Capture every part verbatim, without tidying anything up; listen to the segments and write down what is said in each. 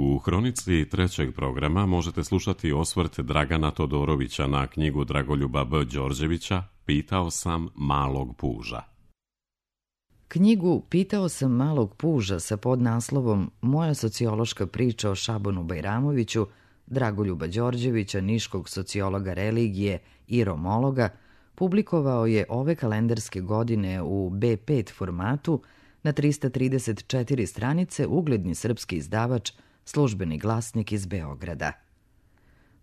U hronici trećeg programa možete slušati osvrt Dragana Todorovića na knjigu Dragoljuba B. Đorđevića Pitao sam malog puža. Knjigu Pitao sam malog puža sa podnaslovom Moja sociološka priča o Šabanu Bajramoviću Dragoljuba Đorđevića, niškog sociologa religije i romologa, publikovao je ove kalendarske godine u be pet formatu na trista trideset četiri stranice ugledni srpski izdavač Službeni glasnik iz Beograda.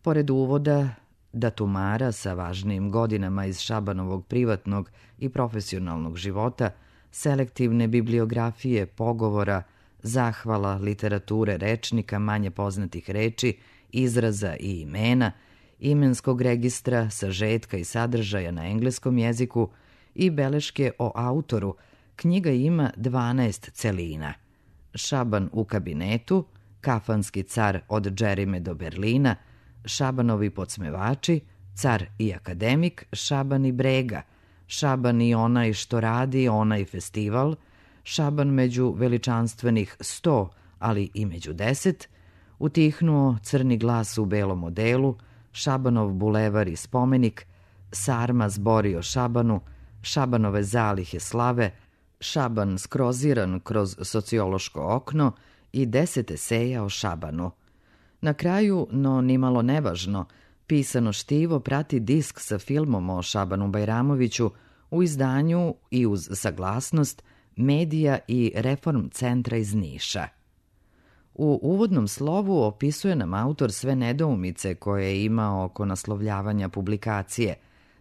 Pored uvoda, datumara sa važnijim godinama iz Šabanovog privatnog i profesionalnog života, selektivne bibliografije, pogovora, zahvala, literature, rečnika, manje poznatih reči, izraza i imena, imenskog registra, sažetka i sadržaja na engleskom jeziku i beleške o autoru, knjiga ima dvanaest celina. Šaban u kabinetu, Kafanski car od Džerime do Berlina, Šabanovi podsmevači, Car i akademik, Šaban i Brega, Šaban i onaj što radi, onaj festival, Šaban među veličanstvenih sto, ali i među deset, Utihnuo crni glas u belom odelu, Šabanov bulevar i spomenik, Sarma zbori o Šabanu, Šabanove zalihe slave, Šaban skroziran kroz sociološko okno i deset eseja o Šabanu. Na kraju, no nimalo nevažno, pisano štivo prati disk sa filmom o Šabanu Bajramoviću u izdanju i uz saglasnost Medija i Reform centra iz Niša. U uvodnom slovu opisuje nam autor sve nedoumice koje je imao oko naslovljavanja publikacije,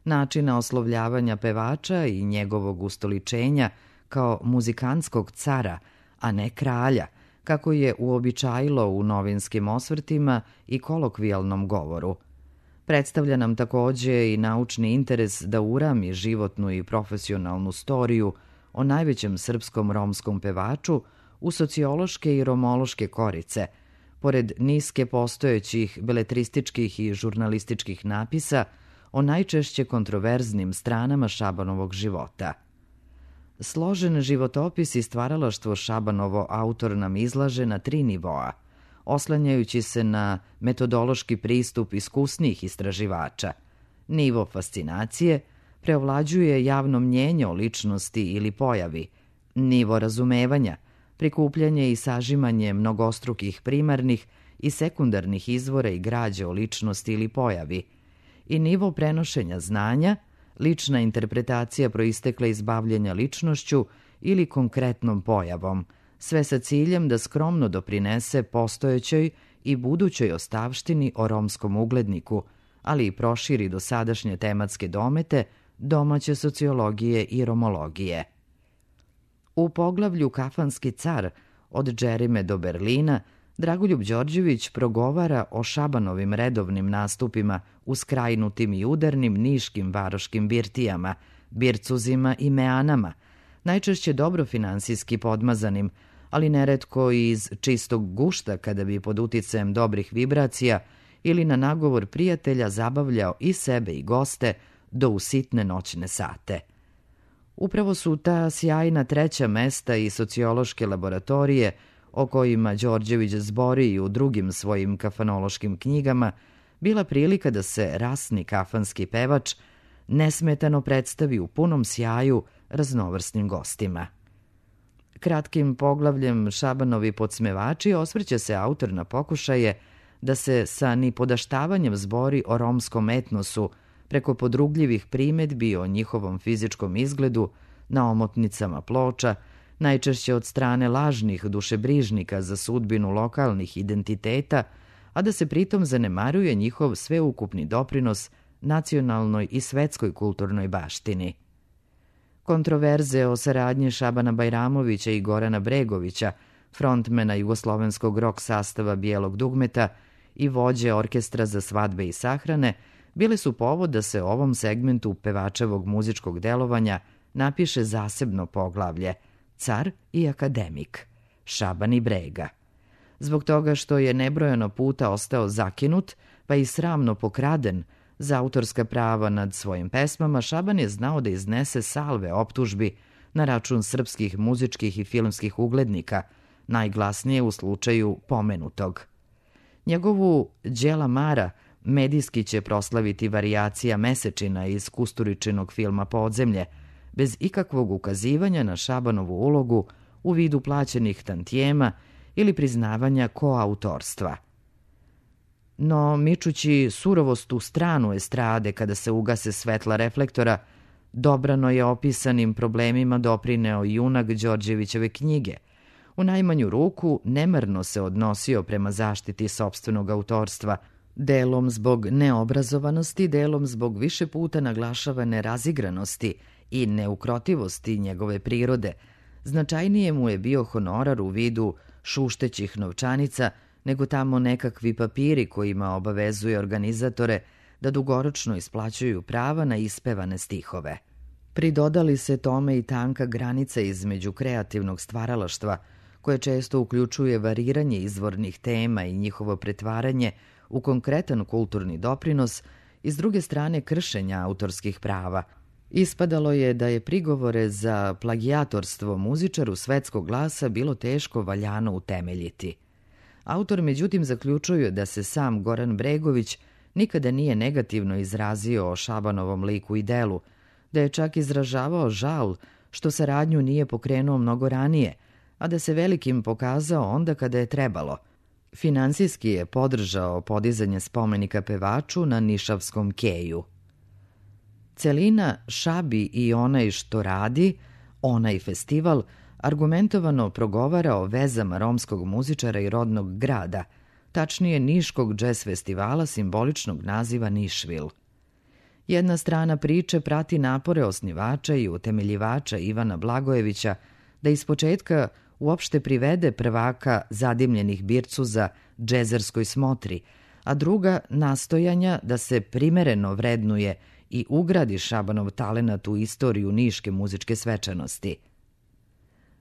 načina oslovljavanja pevača i njegovog ustoličenja kao muzikantskog cara, a ne kralja, kako je uobičajilo u novinskim osvrtima i kolokvijalnom govoru. Predstavlja nam takođe i naučni interes da urami životnu i profesionalnu storiju o najvećem srpskom romskom pevaču u sociološke i romološke korice, pored niske postojećih beletrističkih i žurnalističkih napisa o najčešće kontroverznim stranama Šabanovog života. Složen životopis i stvaralaštvo Šabanovo autor nam izlaže na tri nivoa, oslanjajući se na metodološki pristup iskusnijih istraživača. Nivo fascinacije preovlađuje javno mnjenje o ličnosti ili pojavi, nivo razumevanja, prikupljanje i sažimanje mnogostrukih primarnih i sekundarnih izvora i građe o ličnosti ili pojavi, i nivo prenošenja znanja, lična interpretacija proistekla iz bavljenja ličnošću ili konkretnom pojavom, sve sa ciljem da skromno doprinese postojećoj i budućoj ostavštini o romskom ugledniku, ali i proširi dosadašnje tematske domete domaće sociologije i romologije. U poglavlju Kafanski car od Džerime do Berlina Dragoljub Đorđević progovara o Šabanovim redovnim nastupima u skrajnutim i udarnim niškim varoškim birtijama, bircuzima i meanama, najčešće dobro finansijski podmazanim, ali neretko i iz čistog gušta kada bi pod uticajem dobrih vibracija ili na nagovor prijatelja zabavljao i sebe i goste do u sitne noćne sate. Upravo su ta sjajna treća mesta i sociološke laboratorije o kojima Đorđević zbori i u drugim svojim kafanološkim knjigama bila prilika da se rasni kafanski pevač nesmetano predstavi u punom sjaju raznovrsnim gostima. Kratkim poglavljem Šabanovi podsmevači osvrće se autor na pokušaje da se sa nipodaštavanjem zbori o romskom etnosu preko podrugljivih primedbi o njihovom fizičkom izgledu na omotnicama ploča, najčešće od strane lažnih dušebrižnika za sudbinu lokalnih identiteta, a da se pritom zanemaruje njihov sveukupni doprinos nacionalnoj i svetskoj kulturnoj baštini. Kontroverze o saradnji Šabana Bajramovića i Gorana Bregovića, frontmena jugoslovenskog rock sastava Bijelog dugmeta i vođe orkestra za svadbe i sahrane, bile su povod da se o ovom segmentu pevačevog muzičkog delovanja napiše zasebno poglavlje Car i akademik, Šaban i Brega. Zbog toga što je nebrojano puta ostao zakinut, pa i sramno pokraden za autorska prava nad svojim pesmama, Šaban je znao da iznese salve optužbi na račun srpskih muzičkih i filmskih uglednika, najglasnije u slučaju pomenutog. Njegovu Đela Mara medijski će proslaviti varijacija Mesečina iz Kusturičinog filma Podzemlje, bez ikakvog ukazivanja na Šabanovu ulogu u vidu plaćenih tantijema ili priznavanja koautorstva. No, mičući surovost u stranu estrade kada se ugase svetla reflektora, dobrano je opisanim problemima doprineo junak Đorđevićeve knjige. U najmanju ruku nemarno se odnosio prema zaštiti sopstvenog autorstva, delom zbog neobrazovanosti, delom zbog više puta naglašavane razigranosti i neukrotivosti njegove prirode. Značajnije mu je bio honorar u vidu šuštećih novčanica nego tamo nekakvi papiri kojima obavezuje organizatore da dugoročno isplaćuju prava na ispevane stihove. Pridodali se tome i tanka granica između kreativnog stvaralaštva, koje često uključuje variranje izvornih tema i njihovo pretvaranje u konkretan kulturni doprinos i s druge strane kršenja autorskih prava. Ispadalo je da je prigovore za plagijatorstvo muzičaru svetskog glasa bilo teško valjano utemeljiti. Autor međutim zaključuje da se sam Goran Bregović nikada nije negativno izrazio o Šabanovom liku i delu, da je čak izražavao žal što saradnju nije pokrenuo mnogo ranije, a da se velikim pokazao onda kada je trebalo. Finansijski je podržao podizanje spomenika pevaču na Nišavskom keju. Celina Šabi i onaj što radi, onaj festival, argumentovano progovara o vezama romskog muzičara i rodnog grada, tačnije Niškog džez festivala simboličnog naziva Nišvil. Jedna strana priče prati napore osnivača i utemeljivača Ivana Blagojevića da ispočetka uopšte privede prvaka zadimljenih bircuza džezerskoj smotri, a druga nastojanja da se primereno vrednuje i ugradi Šabanov talenat u istoriju niške muzičke svečanosti.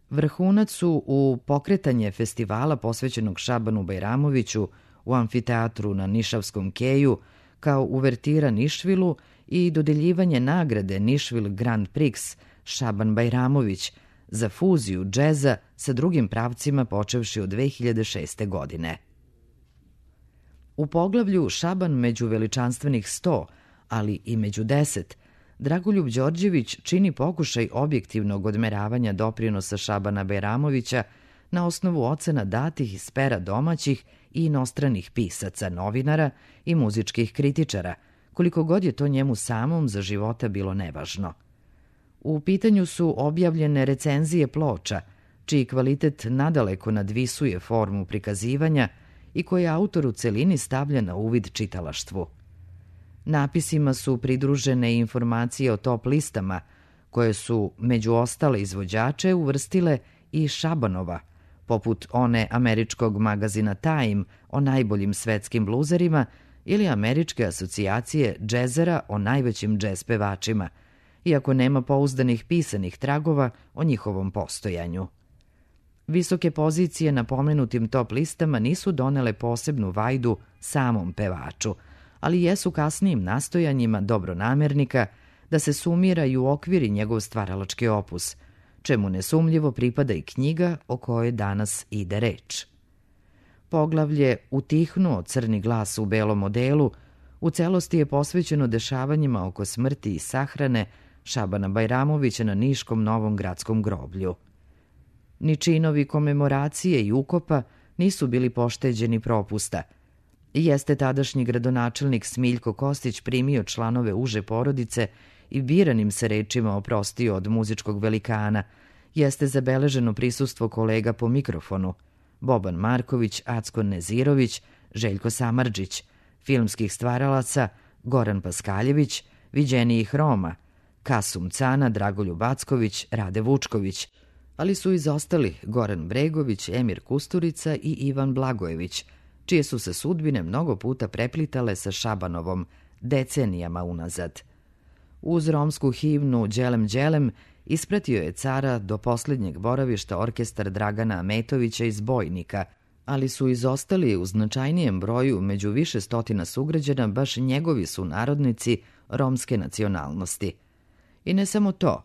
Vrhunac su u pokretanje festivala posvećenog Šabanu Bajramoviću u amfiteatru na Nišavskom keju kao uvertira Nišvilu i dodeljivanje nagrade Nišvil Grand Prix Šaban Bajramović za fuziju džeza sa drugim pravcima počevši od dve hiljade šeste. godine. U poglavlju Šaban među veličanstvenih sto, ali i među deset, Dragoljub Đorđević čini pokušaj objektivnog odmeravanja doprinosa Šabana Bajramovića na osnovu ocena datih iz pera domaćih i inostranih pisaca, novinara i muzičkih kritičara, koliko god je to njemu samom za života bilo nevažno. U pitanju su objavljene recenzije ploča, čiji kvalitet nadaleko nadvisuje formu prikazivanja i koje autor u celini stavlja na uvid čitalaštvu. Napisima su pridružene informacije o top listama, koje su među ostale izvođače uvrstile i Šabanova, poput one američkog magazina Time o najboljim svetskim bluzerima ili američke asocijacije džezera o najvećim džez pevačima, iako nema pouzdanih pisanih tragova o njihovom postojanju. Visoke pozicije na pomenutim top listama nisu donele posebnu vajdu samom pevaču, ali jesu kasnijim nastojanjima dobronamernika da se sumira i uokviri njegov stvaralački opus, čemu nesumljivo pripada i knjiga o kojoj danas ide reč. Poglavlje Utihnuo crni glas u belom odelu u celosti je posvećeno dešavanjima oko smrti i sahrane Šabana Bajramovića na Niškom Novom gradskom groblju. Ni činovi komemoracije i ukopa nisu bili pošteđeni propusta. Jeste tadašnji gradonačelnik Smiljko Kostić primio članove uže porodice i biranim se rečima oprostio od muzičkog velikana. Jeste zabeleženo prisustvo kolega po mikrofonu: Boban Marković, Acko Nezirović, Željko Samardžić, filmskih stvaralaca Goran Paskaljević, viđenijih Roma, Kasum Cana, Dragoljub Acković, Rade Vučković, ali su izostali Goran Bregović, Emir Kusturica i Ivan Blagojević, čije su se sudbine mnogo puta preplitale sa Šabanovom decenijama unazad. Uz romsku himnu Đelem Đelem ispratio je cara do posljednjeg boravišta orkestar Dragana Ametovića iz Bojnika, ali su izostali u značajnijem broju među više stotina sugrađana baš njegovi su narodnici romske nacionalnosti. I ne samo to,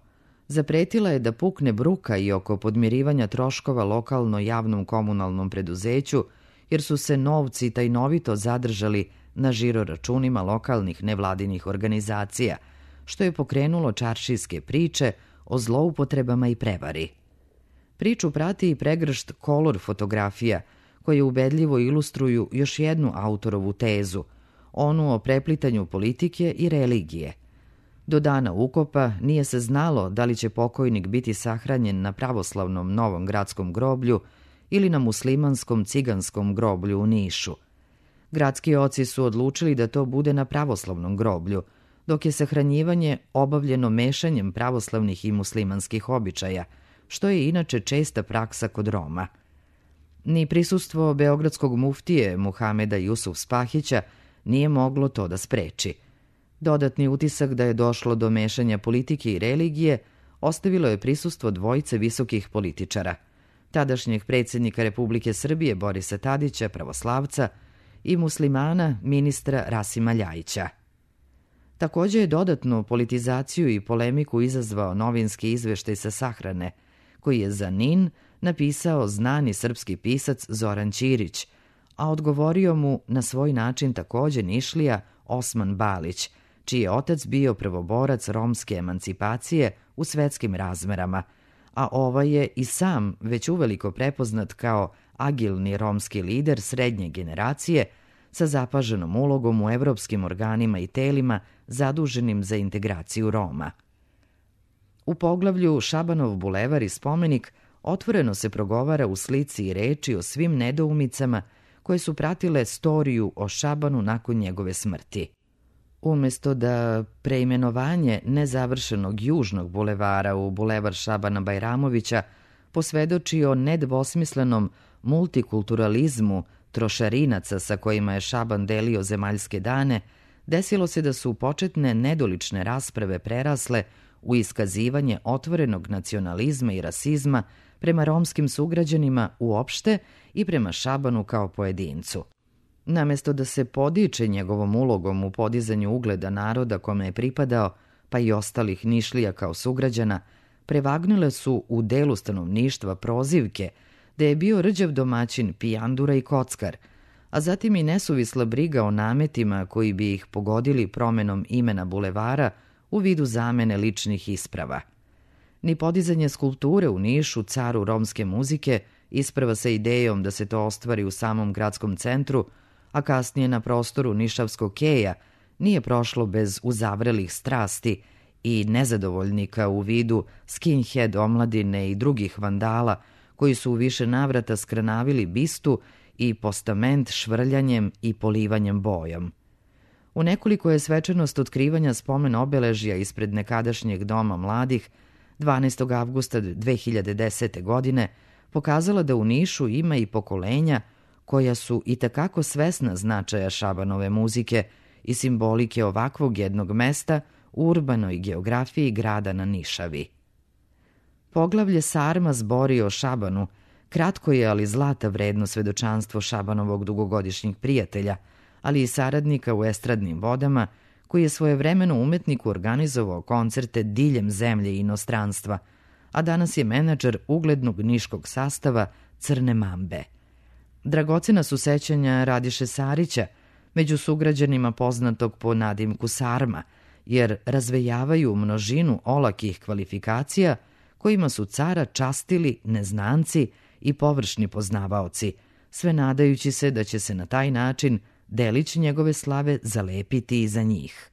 Zapretila je da pukne bruka i oko podmirivanja troškova lokalno javnom komunalnom preduzeću, jer su se novci tajnovito zadržali na žiro računima lokalnih nevladinih organizacija, što je pokrenulo čaršijske priče o zloupotrebama i prevari. Priču prati i pregršt kolor fotografija, koje ubedljivo ilustruju još jednu autorovu tezu, onu o preplitanju politike i religije. Do dana ukopa nije se znalo da li će pokojnik biti sahranjen na pravoslavnom Novom gradskom groblju ili na muslimanskom ciganskom groblju u Nišu. Gradski oci su odlučili da to bude na pravoslavnom groblju, dok je sahranjivanje obavljeno mešanjem pravoslavnih i muslimanskih običaja, što je inače česta praksa kod Roma. Ni prisustvo beogradskog muftije Muhameda Jusuf Spahića nije moglo to da spreči. Dodatni utisak da je došlo do mešanja politike i religije ostavilo je prisustvo dvojice visokih političara, tadašnjeg predsjednika Republike Srbije Borisa Tadića, pravoslavca, i muslimana ministra Rasima Ljajića. Također je dodatnu politizaciju i polemiku izazvao novinski izveštaj sa sahrane, koji je za N I N napisao znani srpski pisac Zoran Ćirić, a odgovorio mu na svoj način također Nišlija Osman Balić, čiji je otac bio prvoborac romske emancipacije u svetskim razmerama, a ovaj je i sam već uveliko prepoznat kao agilni romski lider srednje generacije sa zapaženom ulogom u evropskim organima i telima zaduženim za integraciju Roma. U poglavlju Šabanov bulevar i spomenik otvoreno se progovara u slici i reči o svim nedoumicama koje su pratile storiju o Šabanu nakon njegove smrti. Umjesto da preimenovanje nezavršenog južnog bulevara u bulevar Šabana Bajramovića posvedoči o nedvosmislenom multikulturalizmu trošarinaca sa kojima je Šaban delio zemaljske dane, desilo se da su početne nedolične rasprave prerasle u iskazivanje otvorenog nacionalizma i rasizma prema romskim sugrađanima uopšte i prema Šabanu kao pojedincu. Namesto da se podiče njegovom ulogom u podizanju ugleda naroda kome je pripadao, pa i ostalih Nišlija kao sugrađana, prevagnule su u delu stanovništva prozivke da je bio rđav domaćin, pijandura i kockar, a zatim i nesuvisla briga o nametima koji bi ih pogodili promenom imena bulevara u vidu zamene ličnih isprava. Ni podizanje skulpture u Nišu, caru romske muzike, isprava sa idejom da se to ostvari u samom gradskom centru, a kasnije na prostoru Nišavskog keja, nije prošlo bez uzavrelih strasti i nezadovoljnika u vidu skinhead omladine i drugih vandala koji su u više navrata skranavili bistu i postament švrljanjem i polivanjem bojom. U nekoliko je svečanost otkrivanja spomen obeležja ispred nekadašnjeg doma mladih dvanaestog avgusta dve hiljade desete. godine pokazala da u Nišu ima i pokolenja koja su itekako svesna značaja Šabanove muzike i simbolike ovakvog jednog mesta u urbanoj geografiji grada na Nišavi. Poglavlje Sarma zbori o Šabanu kratko je, ali zlata vredno svedočanstvo Šabanovog dugogodišnjeg prijatelja, ali i saradnika u estradnim vodama, koji je svojevremeno umetniku organizovao koncerte diljem zemlje i inostranstva, a danas je menadžer uglednog niškog sastava Crne Mambe. Dragocena su sećanja Radiše Sarića, među sugrađanima poznatog po nadimku Sarma, jer razvejavaju množinu olakih kvalifikacija kojima su cara častili neznanci i površni poznavaoci, sve nadajući se da će se na taj način delić njegove slave zalepiti iza njih.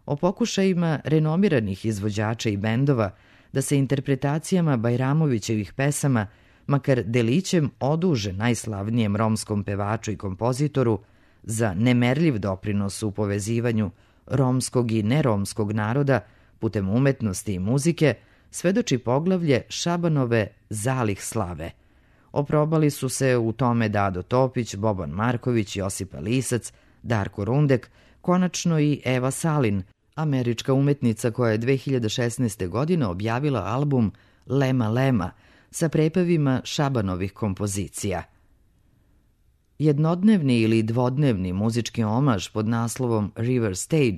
O pokušajima renomiranih izvođača i bendova da se interpretacijama Bajramovićevih pesama makar delićem oduže najslavnijem romskom pevaču i kompozitoru za nemerljiv doprinos u povezivanju romskog i neromskog naroda putem umetnosti i muzike, svedoči poglavlje Šabanove Zalih slave. Oprobali su se u tome Dado Topić, Boban Marković, Josipa Lisac, Darko Rundek, konačno i Eva Salin, američka umetnica koja je dve hiljade šesnaeste. godine objavila album Lema Lema sa prepevima Šabanovih kompozicija. Jednodnevni ili dvodnevni muzički omaž pod naslovom River Stage,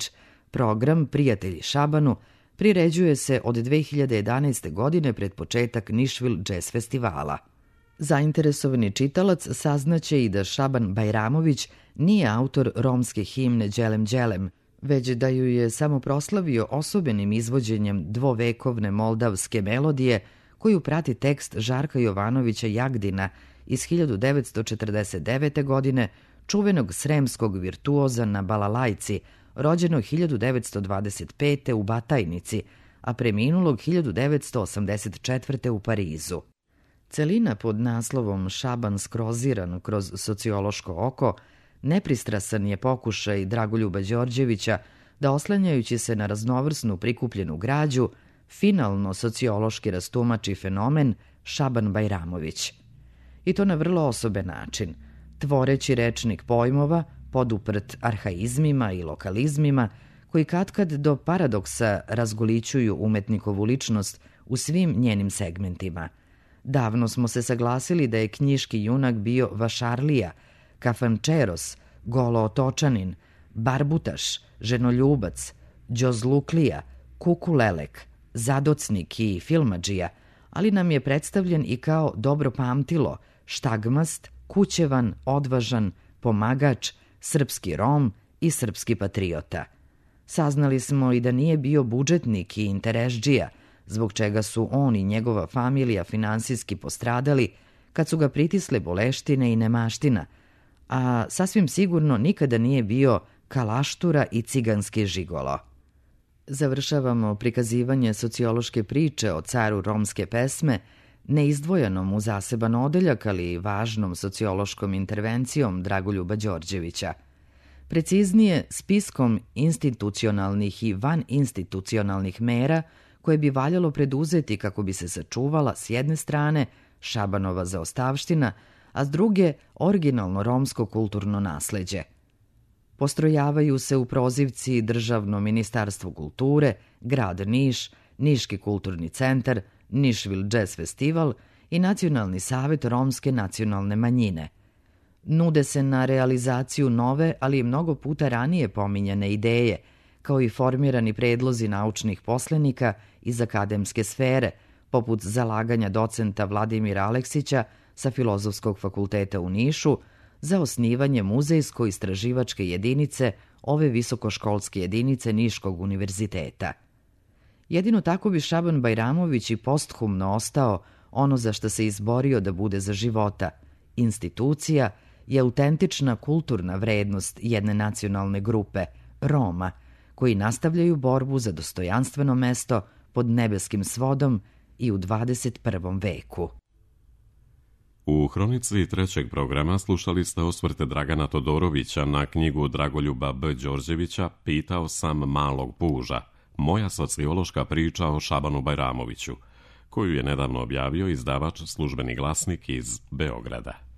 program Prijatelji Šabanu, Priređuje se od dve hiljade jedanaeste. godine pred početak Nišvil Jazz festivala. Zainteresovani čitalac saznaće i da Šaban Bajramović nije autor romske himne Đelem Đelem, već da ju je samo proslavio osobenim izvođenjem dvovekovne moldavske melodije koju prati tekst Žarka Jovanovića Jagdina iz hiljadu devetsto četrdeset devete. godine, čuvenog sremskog virtuoza na balalajci, rođenog hiljadu devetsto dvadeset pete. u Batajnici, a preminulog hiljadu devetsto osamdeset četvrte. u Parizu. Celina pod naslovom Šaban skroziran kroz sociološko oko nepristrasan je pokušaj Dragoljuba Đorđevića da, oslanjajući se na raznovrsnu prikupljenu građu, finalno sociološki rastumači fenomen Šaban Bajramović. I to na vrlo osoben način, tvoreći rečnik pojmova poduprt arhaizmima i lokalizmima koji katkad do paradoksa razgolićuju umetnikovu ličnost u svim njenim segmentima. Davno smo se saglasili da je knjiški junak bio vašarlija, kafančeros, golootočanin, barbutaš, ženoljubac, đozluklija, kukulelek, zadocnik i filmadžija, ali nam je predstavljen i kao dobro pamtilo, štagmast, kućevan, odvažan, pomagač, srpski Rom i srpski patriota. Saznali smo i da nije bio budžetnik i interesdžija, zbog čega su on i njegova familija finansijski postradali kad su ga pritisle boleštine i nemaština, a sasvim sigurno nikada nije bio kalaštura i ciganski žigolo. Završavamo prikazivanje sociološke priče o caru romske pesme neizdvojenom u zaseban odeljak, ali važnom sociološkom intervencijom Dragoljuba Đorđevića. Preciznije, spiskom institucionalnih i vaninstitucionalnih mera koje bi valjalo preduzeti kako bi se sačuvala s jedne strane Šabanova zaostavština, a s druge originalno romsko kulturno nasleđe. Postrojavaju se u prozivci Državno ministarstvo kulture, grad Niš, Niški kulturni centar, Nišvil Jazz festival i Nacionalni savet romske nacionalne manjine. Nude se na realizaciju nove, ali i mnogo puta ranije pominjane ideje, kao i formirani predlozi naučnih poslenika iz akademske sfere, poput zalaganja docenta Vladimira Aleksića sa Filozofskog fakulteta u Nišu za osnivanje muzejsko-istraživačke jedinice ove visokoškolske jedinice Niškog univerziteta. Jedino tako bi Šaban Bajramović i posthumno ostao ono za što se izborio da bude za života, institucija i autentična kulturna vrednost jedne nacionalne grupe, Roma, koji nastavljaju borbu za dostojanstveno mesto pod nebeskim svodom i u dvadeset prvom veku. U hronici trećeg programa slušali ste osvrte Dragana Todorovića na knjigu Dragoljuba B. Đorđevića Pitao sam malog puža, moja sociološka priča o Šabanu Bajramoviću, koju je nedavno objavio izdavač Službeni glasnik iz Beograda.